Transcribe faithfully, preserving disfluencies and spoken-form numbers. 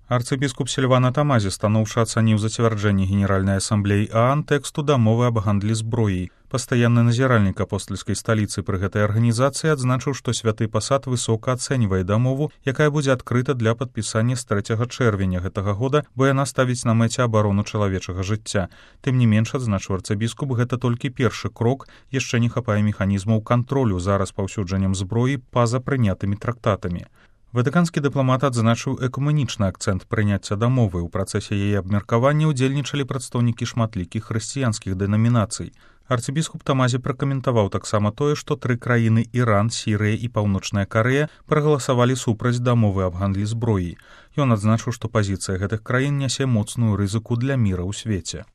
Арцыбіскуп Сільвана Тамазі станоўча ацаніў зацвярджэнне Генеральнай асамблеі ААН тэксту дамовы аб гандлі зброяй. Пастаянны назіральнік апостальскай сталіцы пры гэтай арганізацыі адзначыў, што святы пасад высока ацэньвае дамову, якая будзе адкрыта для падпісання з трэцяга чэрвеня гэтага года, бо яна ставіць на мэце абарону чалавечага жыцця. Тым не менш, адзначыў арцыбіскуп, гэта толькі першы крок, яшчэ не хапае механізмаў кантролю за распаўсюджаннем зброі па-за прынятымі трактатамі. Ватыканскі дыпламат адзначыў экумэнічны акцэнт прыняцця дамовы. У працэсе яе абмеркавання ўдзельнічалі прадстаўнікі шматлікіх хрысціянскіх дэнамінацый. Арцыбіскуп Тамазі пракаментаваў таксама тое, што тры краіны Іран, Сірыя і Паўночная Карэя прагаласавалі супраць дамовы аб гандлі зброяй. Ён адзначыў, што пазіцыя гэтых краін нясе моцную рызыку для міра ў свеце.